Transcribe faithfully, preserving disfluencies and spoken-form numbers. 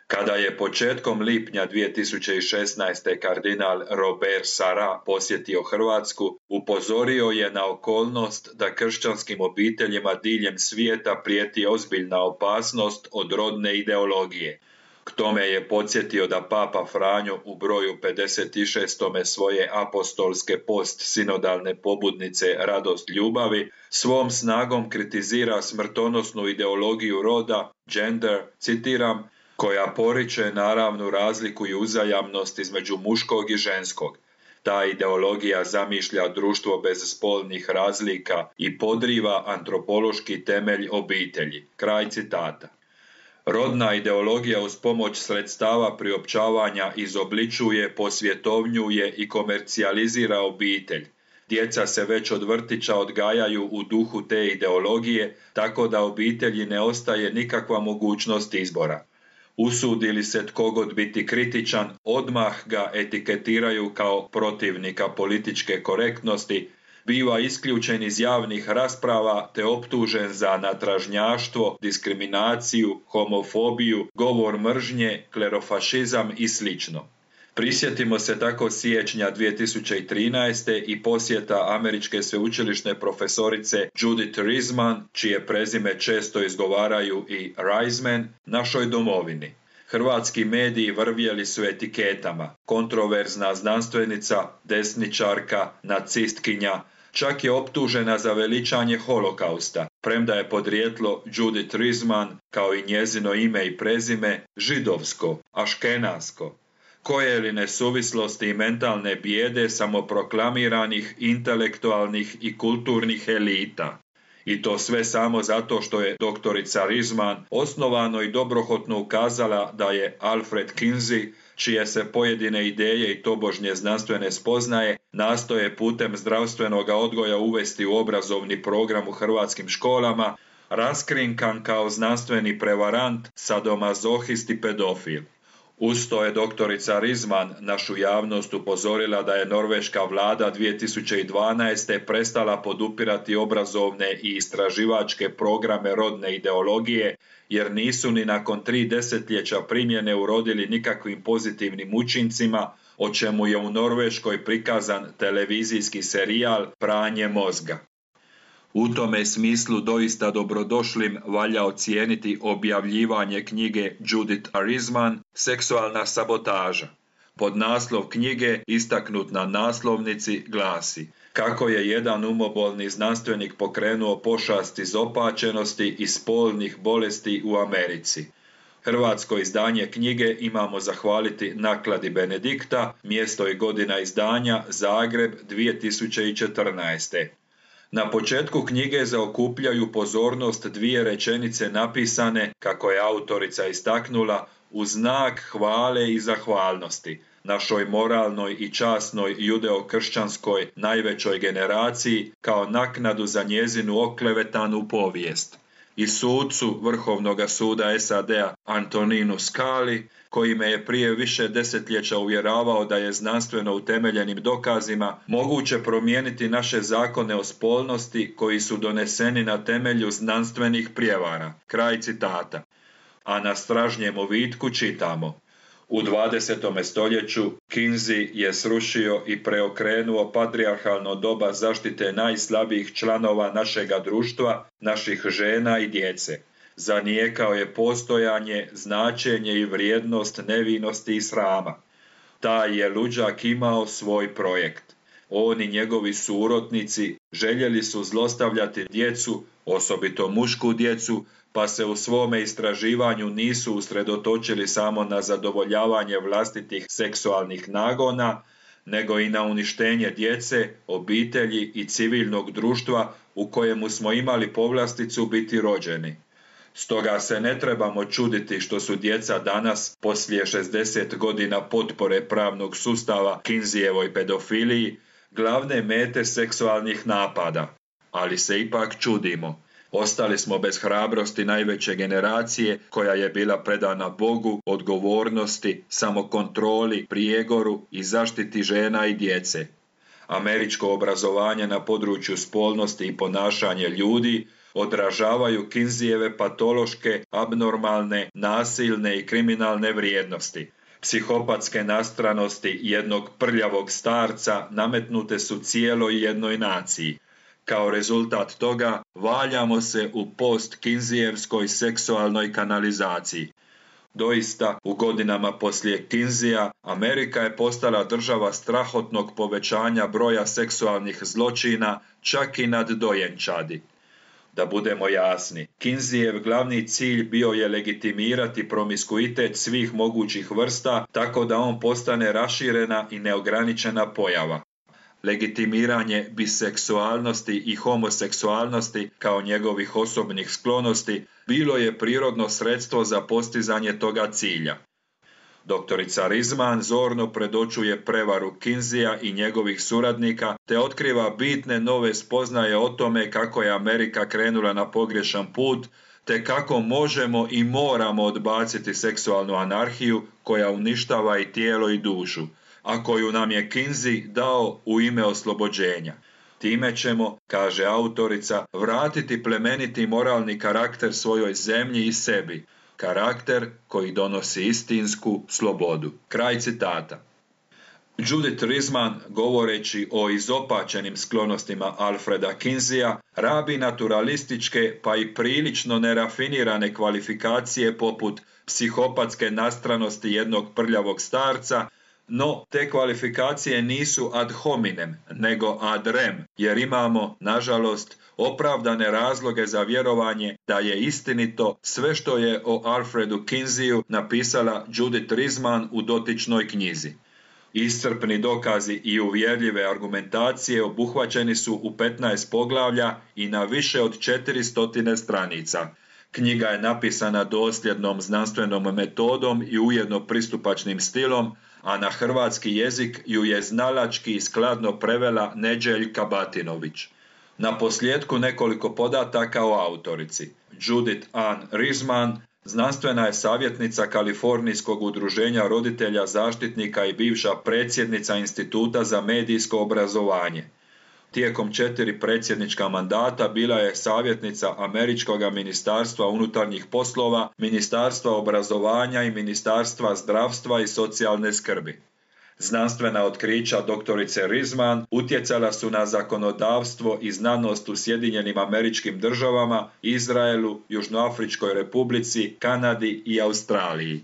Kada je početkom lipnja dvije tisuće šesnaeste. kardinal Robert Sarah posjetio Hrvatsku, upozorio je na okolnost da kršćanskim obiteljima diljem svijeta prijeti ozbiljna opasnost od rodne ideologije. K tome je podsjetio da Papa Franjo u broju pedeset šest. svoje apostolske post-sinodalne pobudnice Radost ljubavi svom snagom kritizira smrtonosnu ideologiju roda, gender, citiram, koja poriče naravnu razliku i uzajamnost između muškog i ženskog. Ta ideologija zamišlja društvo bez spolnih razlika i podriva antropološki temelj obitelji. Kraj citata. Rodna ideologija uz pomoć sredstava priopćavanja izobličuje, posvjetovnjuje i komercijalizira obitelj. Djeca se već od vrtića odgajaju u duhu te ideologije, tako da obitelji ne ostaje nikakva mogućnost izbora. Usudi li se tko god biti kritičan, odmah ga etiketiraju kao protivnika političke korektnosti, biva isključen iz javnih rasprava te optužen za natražnjaštvo, diskriminaciju, homofobiju, govor mržnje, klerofašizam i sl. Prisjetimo se tako siječnja dvije tisuće trinaeste. i posjeta američke sveučilišne profesorice Judith Reisman, čije prezime često izgovaraju i Reisman, našoj domovini. Hrvatski mediji vrvjeli su etiketama: kontroverzna znanstvenica, desničarka, nacistkinja, čak je optužena za veličanje holokausta, premda je podrijetlo Judith Reisman, kao i njezino ime i prezime, židovsko, aškenasko. Koje li nesuvislosti i mentalne bijede samoproklamiranih intelektualnih i kulturnih elita. I to sve samo zato što je doktorica Reisman osnovano i dobrohotno ukazala da je Alfred Kinsey, čije se pojedine ideje i tobožnje znanstvene spoznaje nastoje putem zdravstvenog odgoja uvesti u obrazovni program u hrvatskim školama, raskrinkan kao znanstveni prevarant, sadomazohist i pedofil. Uz to je doktorica Reisman našu javnost upozorila da je norveška vlada dvije tisuće dvanaeste. prestala podupirati obrazovne i istraživačke programe rodne ideologije, jer nisu ni nakon tri desetljeća primjene urodili nikakvim pozitivnim učincima, o čemu je u Norveškoj prikazan televizijski serijal Pranje mozga. U tome smislu doista dobrodošlim valja ocijeniti objavljivanje knjige Judith Reisman Seksualna sabotaža. Podnaslov knjige, istaknut na naslovnici, glasi: kako je jedan umobolni znanstvenik pokrenuo pošast izopačenosti i spolnih bolesti u Americi. Hrvatsko izdanje knjige imamo zahvaliti Nakladi Benedikta, mjesto i godina izdanja Zagreb dvije tisuće četrnaeste. Na početku knjige zaokupljaju pozornost dvije rečenice napisane, kako je autorica istaknula, u znak hvale i zahvalnosti našoj moralnoj i časnoj judeo-kršćanskoj najvećoj generaciji kao naknadu za njezinu oklevetanu povijest. I sucu Vrhovnog suda S A D-a Antoninu Scali, koji me je prije više desetljeća uvjeravao da je znanstveno utemeljenim dokazima moguće promijeniti naše zakone o spolnosti koji su doneseni na temelju znanstvenih prijevara. Kraj citata. A na stražnjem ovitku čitamo: u dvadesetom stoljeću Kinsey je srušio i preokrenuo patrijarhalno doba zaštite najslabijih članova našega društva, naših žena i djece. Zanijekao je postojanje, značenje i vrijednost nevinosti i srama. Taj je luđak imao svoj projekt. On i njegovi surodnici željeli su zlostavljati djecu, osobito mušku djecu, pa se u svome istraživanju nisu usredotočili samo na zadovoljavanje vlastitih seksualnih nagona, nego i na uništenje djece, obitelji i civilnog društva u kojemu smo imali povlasticu biti rođeni. Stoga se ne trebamo čuditi što su djeca danas, poslije šezdeset godina potpore pravnog sustava Kinseyevoj pedofiliji, glavne mete seksualnih napada. Ali se ipak čudimo. Ostali smo bez hrabrosti najveće generacije koja je bila predana Bogu, odgovornosti, samokontroli, prijegoru i zaštiti žena i djece. Američko obrazovanje na području spolnosti i ponašanje ljudi odražavaju Kinseyjeve patološke, abnormalne, nasilne i kriminalne vrijednosti. Psihopatske nastranosti jednog prljavog starca nametnute su cijeloj jednoj naciji. Kao rezultat toga valjamo se u post-Kinseyjevskoj seksualnoj kanalizaciji. Doista, u godinama poslije Kinseya, Amerika je postala država strahotnog povećanja broja seksualnih zločina, čak i nad dojenčadi. Da budemo jasni, Kinseyjev glavni cilj bio je legitimirati promiskuitet svih mogućih vrsta, tako da on postane raširena i neograničena pojava. Legitimiranje biseksualnosti i homoseksualnosti kao njegovih osobnih sklonosti bilo je prirodno sredstvo za postizanje toga cilja. Doktorica Rizman zorno predočuje prevaru Kinseya i njegovih suradnika te otkriva bitne nove spoznaje o tome kako je Amerika krenula na pogrešan put te kako možemo i moramo odbaciti seksualnu anarhiju koja uništava i tijelo i dušu, a koju nam je Kinsey dao u ime oslobođenja. Time ćemo, kaže autorica, vratiti plemeniti moralni karakter svojoj zemlji i sebi, karakter koji donosi istinsku slobodu. Kraj citata. Judith Rizman, govoreći o izopačenim sklonostima Alfreda Kinseya, rabi naturalističke pa i prilično nerafinirane kvalifikacije poput psihopatske nastranosti jednog prljavog starca, no te kvalifikacije nisu ad hominem, nego ad rem, jer imamo, nažalost, opravdane razloge za vjerovanje da je istinito sve što je o Alfredu Kinseyu napisala Judith Rizman u dotičnoj knjizi. Iscrpni dokazi i uvjerljive argumentacije obuhvaćeni su u petnaest poglavlja i na više od četiristo stranica. Knjiga je napisana dosljednom znanstvenom metodom i ujedno pristupačnim stilom, a na hrvatski jezik ju je znalački i skladno prevela Neđeljka Batinović. Na posljedku nekoliko podataka o autorici. Judith Ann Rizman, znanstvena je savjetnica Kalifornijskog udruženja roditelja zaštitnika i bivša predsjednica Instituta za medijsko obrazovanje. Tijekom četiri predsjednička mandata bila je savjetnica Američkog ministarstva unutarnjih poslova, Ministarstva obrazovanja i Ministarstva zdravstva i socijalne skrbi. Znanstvena otkrića doktorice Rizman utjecala su na zakonodavstvo i znanost u Sjedinjenim Američkim Državama, Izraelu, Južnoafričkoj Republici, Kanadi i Australiji.